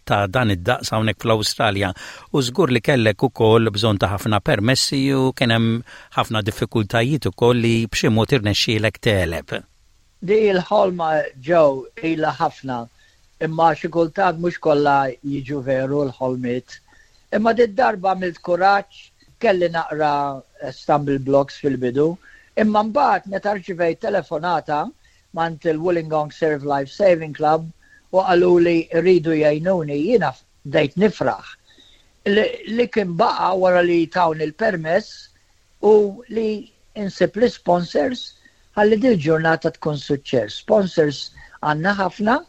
S1: ta' dan id-daqs hawnhekk fl-Awstralja. U żgur li kellek ukoll bżonn ta' ħafna permessi u kien hemm ħafna diffikultajiet ukoll li b'xi mod irnexxielek tegħleb.
S18: Di il-ħolma ġew ilha ħafna, imma xi kultant mhux kollha jiġu veru l-ħolmiet. Imma di darba għamilt kuraġġ, kelli naqra stumble blocks fil-bidu, imma mbagħad meta rċivejt telefonata mingħand il-Wollongong Surf Life Saving Club u qalu li rridu jgħinuni, jiena bdejt nifraħ. Li kien baqa wara li tawni il-permess u li insib li sponsors ħalli dil ġurnata tkun suċċess. Sponsors għandna ħafna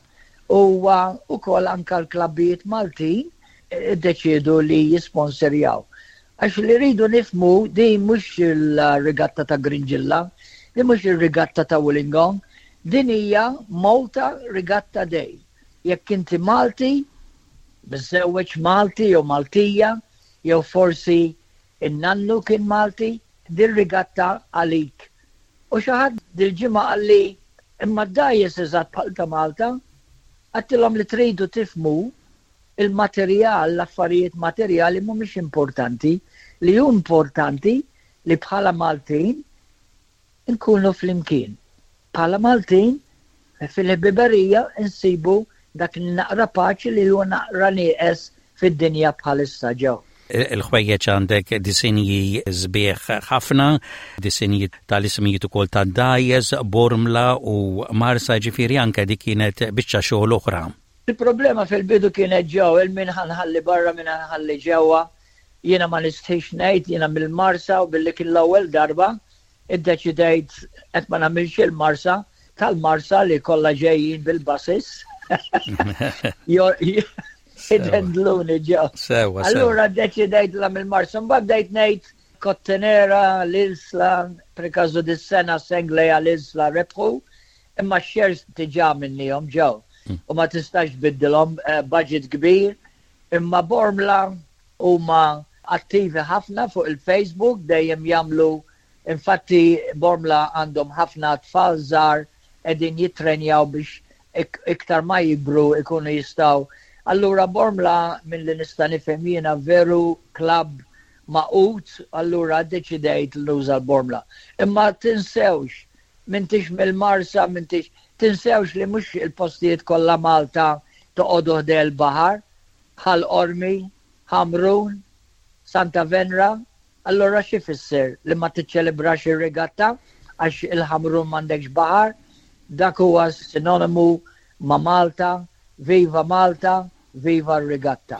S18: u ukoll anka l-klabbijiet Maltin iddeċiedu li jisponsorjaw. Għax li rridu nifhmu, di mhux il-regatta ta' Gringilla, di mhux il-regatta ta' Wollongong, din hija Malta Regatta Day. Jekk inti Malti, miżżewweġ Malti jew Maltija, jew forsi in-nannu kien Malti, din regatta għalik. U xi ħadd dil-ġimgħa qalli, "Imma d-dgħajjes eżatt bħal ta' Malta?" Għedtilhom li tridu tifhmu il-materjal, l-affarijiet materjali mhumiex importanti, li hu importanti li bħala Maltin nkunu flimkien. Bħala Maltin fil-ħbiberija nsibu dak naqra paċi li huwa naqra nieqes fid-dinja bħalissa ġew.
S1: Il-ħwejjeġ għandek disinji sbieħ ħafna, disinji tal-ismijiet ukoll ta' dgħajjes, Bormla u Marsa ġifieri anke dik kienet biċċa xogħol oħra.
S18: Il-problema fil-bidu kienet ġew il-min ħa nħalli barra min ħa nħalli ġewwa. Jiena ma nistħix ngħid jiena mill-Marsa u billi kien l-ewwel darba iddeċidejt qed ma nagħmilx il-Marsa tal-Marsa li kollha ġejjin bil-buses. Idendluni ġew.
S1: Sewa,
S18: Allura ddeċidejt la mill-Marsa, mbagħad bdejt ngħid Kottonera, l-Isla, per każu dis-sena Senglea l-Isla rebħu, imma x-shirts diġà minnihom ġew. U ma tistax tbiddilhom eh, budget kbir, imma Bormla huma attivi ħafna fuq il-Facebook, dejjem jagħmlu infatti Bormla għandhom ħafna tfal żgħar qegħdin jittrenjaw biex iktar ma jikbru ikunu jistgħu. Allura Bormla minn li nista' nifhem jiena veru klabb magħqud, allura deċidejt nuża l-Bormla. Imma tinsewx, m'intix mill-Marsa, m'intix, tinsewx li mhux il-postijiet kollha Malta toqogħdu ħdejn il-baħar, Ħal Qormi, Ħamrun, Santa Venra, allura xi fisser li ma tiċċelebrax ir-regatta għax il-Ħamrun m'għandekx baħar, dak huwa sinonimu ma' Malta, viva Malta, viva r-regatta.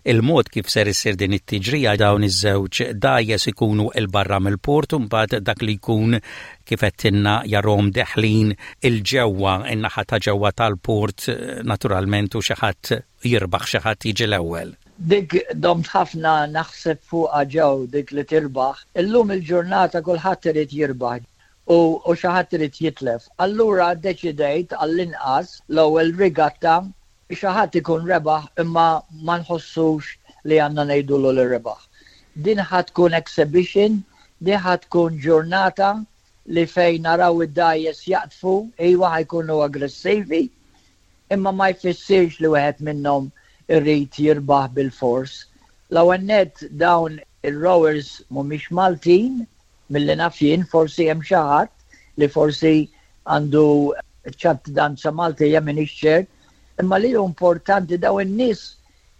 S1: Il-mod kif ser issir din it-tiġrija dawn iż-żewġ dgħajjes ikunu 'l barra mill-port u mbagħad dak li jkun kif għedtilna jarahom deħlin 'il ġewwa in-naħa ta' ġewwa tal-port naturalment u xi ħadd jirbaħ xi ħadd jiġi l-ewwel.
S18: Dik domt ħafna naħseb fuqha ġew dik li tirbaħ. Illum il-ġurnata kulħadd irid jirbaħ u, u xi ħadd irid jitlef. Allura ddeċidejt għall-inqas l-ewwel regatta xi ħadd ikun rebaħ imma ma nħossux li għandna ngħidulu li rebaħ. Din ħa tkun exhibition, din ħa tkun ġurnata li fejn naraw id-dgħajjes jaqdfu, iwa ħa jkunu aggressivi, imma ma jfissirx li wieħed minnhom irrid jirbaħ bil-fors. L-ewwel nett dawn il-rowers mhumiex Maltin, milli naf jien forsi hemm xi ħadd li forsi għandu ċittadinanza Maltija m'iniex ċert, imma li hu importanti daw in-nies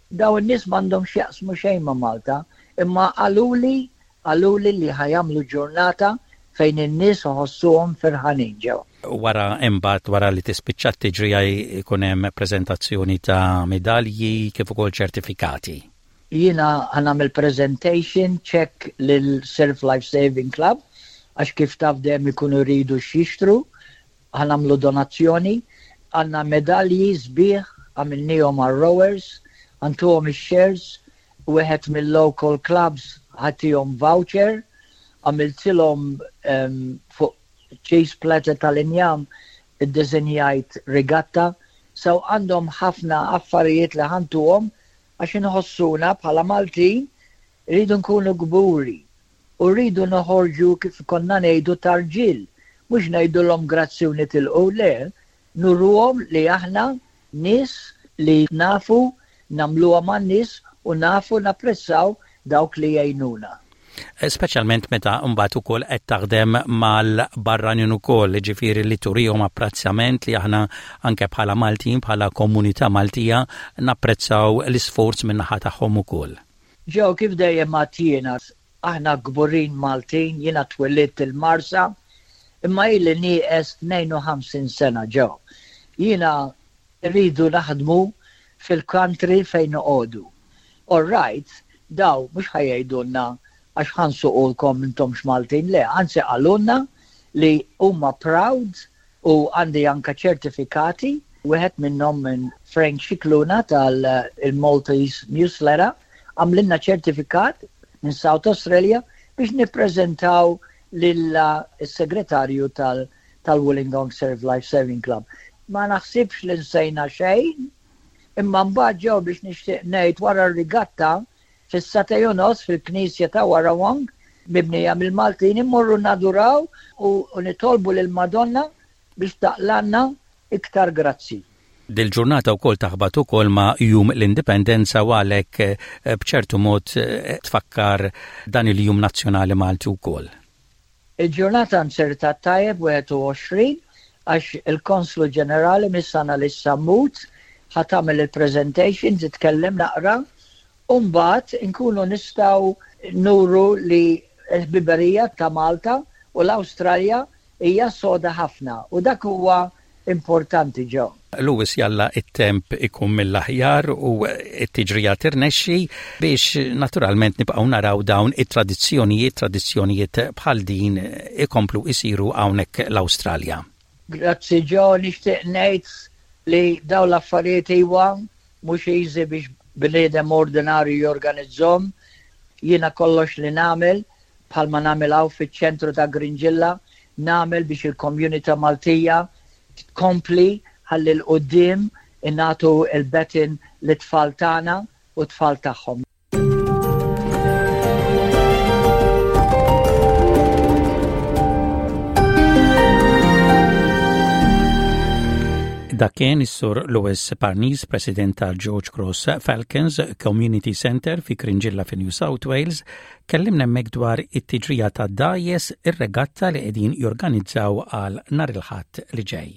S18: daw in-nies m'għandhom x'jaqsmu xejn ma' Malta, imma qaluli qaluli li ħa jagħmlu ġurnata fejn in-nies iħossuhom ferħanin ġew.
S1: Wara imbagħad wara li tispiċċa t-tiġrija jkun hemm preżentazzjoni ta' medalji kif ukoll ċertifikati.
S18: Jiena ħa nagħmel presentation check lil Surf Life Saving Club għax kif taf dejjem ikunu jridu x'jixtru, ħa nagħmlu donazzjoni, għandna medalji sbieħ għamilnihom għal-rowers, ħa ntuhom ix-shirts, wieħed mill-local clubs ħa ttihom voucher, għamiltilhom um, fuq cheese platter tal-injam iddisinjajt regatta, so għandhom ħafna affarijiet li ħa ntuhom għax inħossuna bħala Maltin rridu nkunu kburi u rridu noħorġu kif konna ngħidu tarġil, mhux ngħidulhom grazzi u nitilqu le, nuruhom li aħna nies li nafu nagħmluha man-nies u nafu napprezzaw dawk li jgħinuna.
S1: Speċjalment meta mbagħad ukoll qed taħdem mal-barranin ukoll, ġifieri li turihom apprezzament li aħna anke bħala Maltin, bħala komunità Maltija napprezzaw l-isforz min-naħa tagħhom ukoll.
S18: Ġew kif dejjem għedt aħna kburin Maltin, jiena twelidt il-Marsa, imma ili nieqes tnejn u ħamsin sena ġew. Jiena rridu naħdmu fil-country fejn noqogħdu. All right, daw mhux ħa jgħidulna għax ħa nsuqulkom intomx Maltin, le, anzi qalulna li huma proud u għandi anka ċertifikati, wieħed minnhom minn Frank Scicluna tal-Maltese Newsletter, għamlilna ċertifikat minn South Australia biex nippreżentaw lill-segretarju tal-Wollongong Surf Life Saving Club. Ma naħsibx li nsejna xejn, imma mbagħad ġew biex nixtieq ngħid wara r-regatta fis-sagħtejn u nofs fil-Knisja ta' Warrawong mibnija mill-Maltin immorru naduraw u, u nitolbu lil Madonna biex taqlgħalna iktar grazzi.
S1: Dil-ġurnata wkoll taħbat ukoll ma' Jum l-Indipendenza u għalhekk eh, b'ċertu mod eh, tfakkar dan il-Jum Nazzjonali Malti wkoll.
S18: Il-ġurnata nzertat tajjeb wieħed u għoxrin għax il-Konslu Ġenerali Miss Annalise Sammut ħa tagħmel il-presentation, titkellem naqra, u mbagħad inkunu nistgħu nuru li l-ħbiberija ta' Malta u l-Awstralja hija soda ħafna u dak huwa importanti ġew.
S1: Louis, jalla it-temp ikun mill-aħjar u it-tiġrija tirnexxi biex naturalment nibqgħu naraw dawn it-tradizzjonijiet, tradizzjonijiet bħal din ikomplu isiru hawnhekk l-Awstralja.
S18: Grazzi Joe, nixtieq ngħid li dawn l-affarijiet iwa mhux easy biex bniedem ordinarju jorganizzahom. Jiena kollox li nagħmel, bħalma nagħmel hawn fiċ-ċentru ta' Cringila, nagħmel biex il-komunità Maltija tkompli ħalli 'l quddiem nagħtu il-baton lit-tfal tagħna u tfal tagħhom.
S1: Dak kien is-Sur Louis Parnis, President tal-George Cross Falcons Community Center fi Cringila fi New South Wales, kellimna hemmhekk dwar it-tiġrija ta' dgħajjes, ir-regatta li qegħdin jorganizzaw għal nhar il-Ħadd li ġej.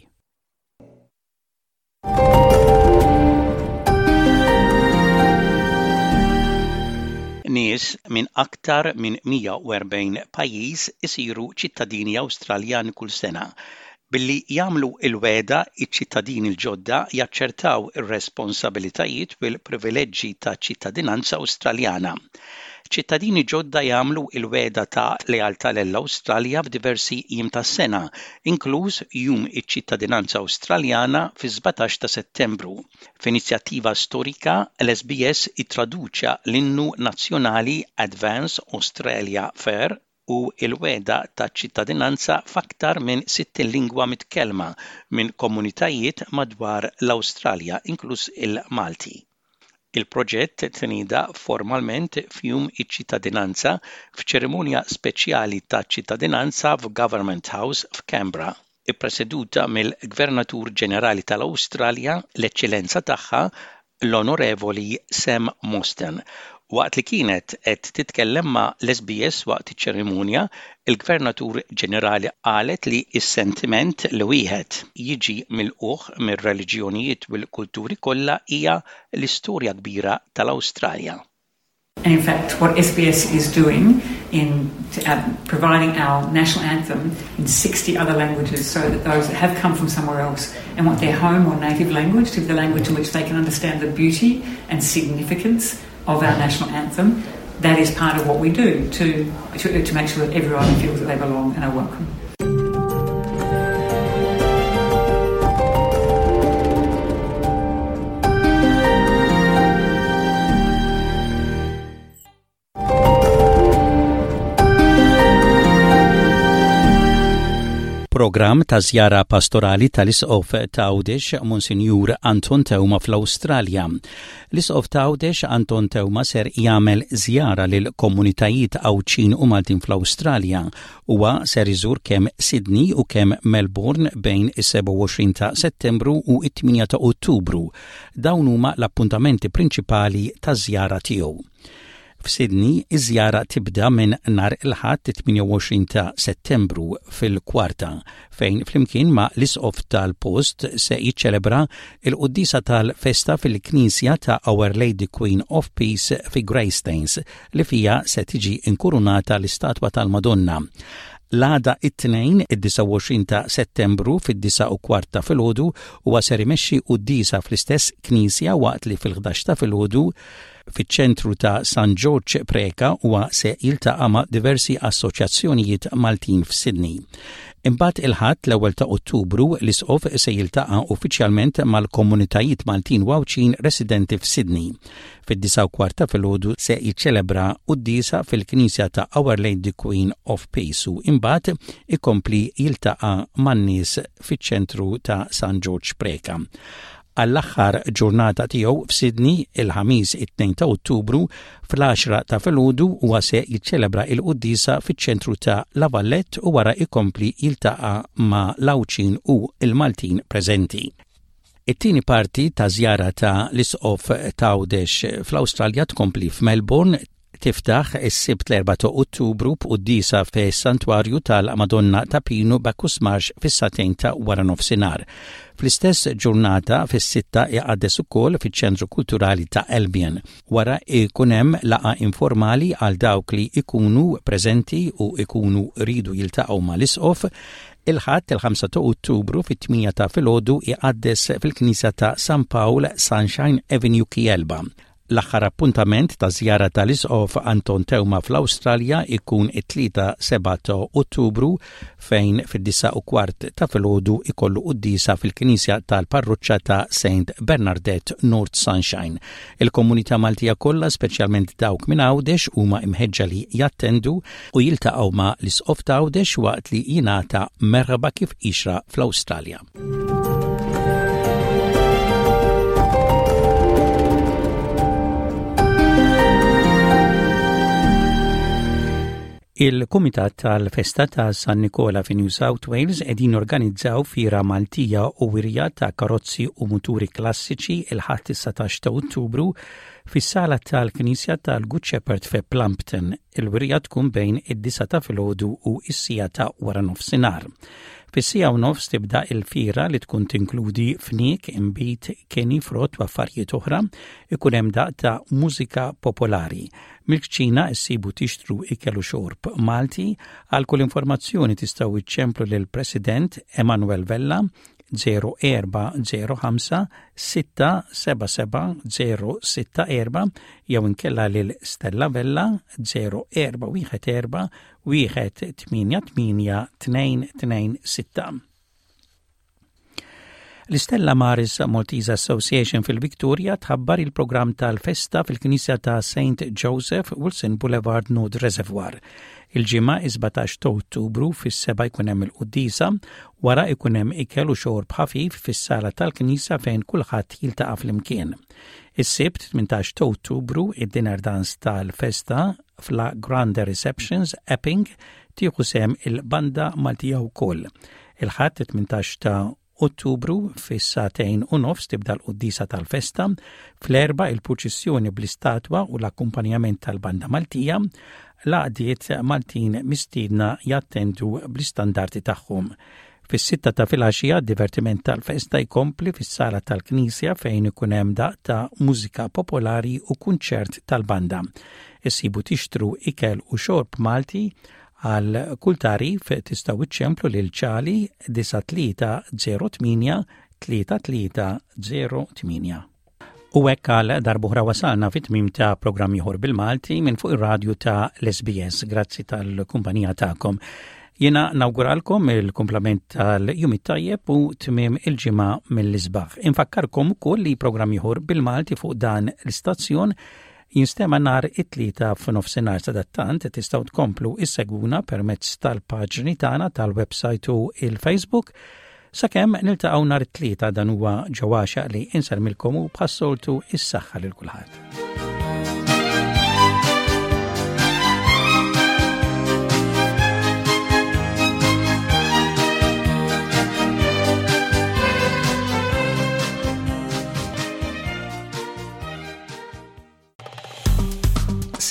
S1: Nies minn aktar minn mija u erbgħin pajjiż isiru ċittadini Awstraljani kull sena. Billi jagħmlu il-wegħda, iċ-ċittadini l-ġodda jaċċettaw ir-responsabilitajiet u l-privileġġi ta' ċittadinanza Awstraljana. Ċittadini ġodda jagħmlu il-wegħda ta' lealtà lill-Awstralja f'diversi jiem tas-sena, inkluż Jum iċ-Ċittadinanza Awstraljana fi sbatax ta' Settembru. F'inizjattiva storika, l-S B S ittraduċa l-innu nazzjonali Advance Australia Fair u il-wegħda ta' ċittadinanza f'aktar minn sittin lingwa mitkellma minn komunitajiet madwar l-Awstralja, inkluż il-Malti. Il-proġett tnieda formalment f'Jum iċ-Ċittadinanza f'ċerimonja speċjali ta' ċittadinanza f'Government House f'Canberra, ippreseduta mill-Gvernatur Ġenerali tal-Awstralja, l-Eċċellenza Tagħha l-Onorevoli Sam Mostyn. Waqt li kienet qed titkellem ma' l-S B S waqt iċ-ċerimonja, il-Gvernatur Ġenerali qalet li s-sentiment li wieħed jiġi milqugħ mir-reliġjonijiet u l-kulturi kollha hija l-istorja kbira tal-Awstralja.
S19: And in fact, what S B S is doing in uh, providing our national anthem in sixty other languages so that those that have come from somewhere else and want their home or native language to be the language in which they can understand the beauty and significance of our national anthem, that is part of what we do to, to, to make sure that everyone feels that they belong and are welcome.
S1: Programm ta' żjara pastorali tal-Isqof ta' Għawdex Monsinjur Anton Teuma fl-Awstralja. L-Isqof ta' Għawdex Anton Teuma ser jagħmel żjara lil komunitajiet Għawdxin u Maltin fl-Awstralja. Huwa ser iżur kemm Sydney u kemm Melbourne bejn is-sebgħa u għoxrin ta' Settembru u it-tmienja ta' Ottubru. Dawn huma l-appuntamenti prinċipali ta' żjara tiegħu. F'Sydney, iż-żjara tibda minn nhar il-Ħadd tmienja u għoxrin ta' Settembru fil-kwarta, fejn flimkien ma' l-isqof tal-post se jiċċelebra il-quddisa tal-festa fil-Knisja ta' Our Lady Queen of Peace fi Greystanes, li fija se tiġi inkurunata l-istatwa tal-Madonna. L-għada, it-Tnejn, id-disgħa u għoxrin ta' Settembru, fid-disgħa u kwart ta' filgħodu, huwa ser imexxi quddiesa fl-istess knisja, waqt li fil-ħdax ta' filgħodu fiċ-ċentru ta' San George Preka huwa se jiltaqa' ma' diversi assoċjazzjonijiet Maltin f'Sydney. Imbagħad il-Ħadd l-ewwel ta' Ottubru l-Isqof se jiltaqa' uffiċjalment mal-komunitajiet Maltin u Għawdxin residenti f'Sydney. Fid-disgħa u kwart ta' filgħodu se jiċċelebra quddiesa fil-Knisja ta' Our Lady Queen of Peace u imbagħad ikompli jiltaqa' man-nies fiċ-ċentru ta' San George Preka. Għall-aħħar ġurnata tiegħu f'Sydney, il-Ħamis it-tnejn ta' Ottubru, fl-għaxra ta' filgħodu huwa se jiċċelebra il-quddiesa fiċ-ċentru ta' La Valette u wara ikompli jiltaqa' ma' l-Għawdxin u il-Maltin preżenti. It-tieni parti ta' żjara ta' l-Isqof t'Għawdex fl-Awstralja tkompli f'Melbourne. Tiftaħ is-Sibt l-erbgħa ta' Ottubru b'quddiesa fis-Santwarju tal-Madonna ta' Pinu, Bacchus Marsh, fis-sagħtejn ta' wara nofsinhar. Fl-istess ġurnata fis-sitta iqaddes ukoll fiċ-Ċentru Kulturali ta' Albion. Wara ikun hemm laqgħa informali għal dawk li ikunu preżenti u ikunu ridu jiltaqgħu mal-Isqof. Il-Ħadd il-ħamsa ta' Ottubru fit-tmienja ta' filgħodu iqaddes fil-Knisja ta' San Pawl, Sunshine Avenue, Kiyelba. L-aħħar appuntament ta' żjara tal-Isqof Anton Teuma fl-Awstralja ikun it-Tlieta sebgħa ta' Ottubru, fejn fid-disgħa u kwart ta' filgħodu ikollu quddiesa fil-Knisja tal-Parroċċa ta' Saint Bernadette, North Sunshine. Il-komunità Maltija kollha, speċjalment dawk minn Għawdex, huma imħeġġa li jattendu u jiltaqgħu ma' l-Isqof ta' Għawdex waqt li jingħata merħba kif jixraq fl-Awstralja. Il-Kumitat tal-Festa ta' San Nikola fi New South Wales qegħdin organizzaw fira Maltija u wirja ta' karozzi u muturi klassiċi il-Ħadd is-satax ta' Ottubru fis-sala tal-Knisja tal-Good Shepherd fi Plumpton. Il-wirja tkun bejn id-disgħa ta' filgħodu u s-siegħa ta' wara nofsinhar. Fis-siegħa u nofs tibda il-fira li tkun tinkludi fniek, imbit, keni, frott u affarijiet oħra, ikun hemm daq ta' mużika popolari. Mill-kċina issibu tixtru ikel u xorb Malti. Għal kull informazzjoni tistgħu iċċemplu lil President Emanuel Vella żero erba' żero ħamsa sitta seba' seba' żero sitta erba' jew inkella lil Stella Vella żero erba' wieħed erba' wieħed tmienja tmienja tnejn tnejn sitta. L-Stella Maris Maltese Association fil-Victoria tħabbar il-programm tal-festa fil-Knisja ta' Saint Joseph, Wilson Boulevard, North Reservoir. Il-Ġimgħa is-sbatax ta' Ottubru fis-sebgħa jkun hemm il-quddiesa, wara jkun hemm ikel u xorb ħafif fis-sala tal-Knisja fejn kulħadd jiltaqa' flimkien. Is-Sibt tmintax ta' Ottubru id-dinner dance tal-festa fla Grande Receptions, Epping, tieħu sehem il-banda Maltija wkoll. Il-Ħadd tmintax ta' Ottubru fis-sagħtejn u nofs tibda l-quddisa tal-festa, fl-erbgħa il-purċissjoni bl-istatwa u l-akkumpanjament tal-banda Maltija, l-għaqdiet Maltin mistiedna jattendu bl-istandarti tagħhom. Fis-sitta ta' filgħaxija divertiment tal-festa jkompli fis-sala tal-Knisja fejn ikun hemm daq ta' mużika popolari u kunċert tal-banda. Issibu tixtru ikel u xorb Malti. Għal kull tagħrif tistgħu iċċemplu lil ċali disa' tlieta żero tmienja tlieta tlieta żero tmienja. U hekk għal darb'oħra wasalna fit-tmim ta' programm ieħor bil-Malti minn fuq ir-radju ta' l-S B S. Grazzi tal-kumpanija tagħkom. Jiena nawguralkom il-kumplament tal-jum it-tajjeb u tmim il-ġimgħa mill-isbaħ. Infakkarkom ukoll li programm ieħor bil-Malti fuq dan l-istazzjon jinstema nhar it-Tlieta f'nofsinhar. Sadattant tistgħu tkomplu issegwuna permezz tal-paġni tagħna tal-website u il-Facebook. Sakemm niltaqgħu nhar it-Tlieta, dan huwa ġewwaxa li insellmilkom u bħas-soltu is-saħħa lil kulħadd.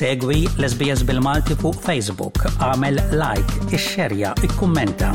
S1: Segwi l-S B S bil-Malti fuq Facebook, għamel like, ixxerja, ikkummenta.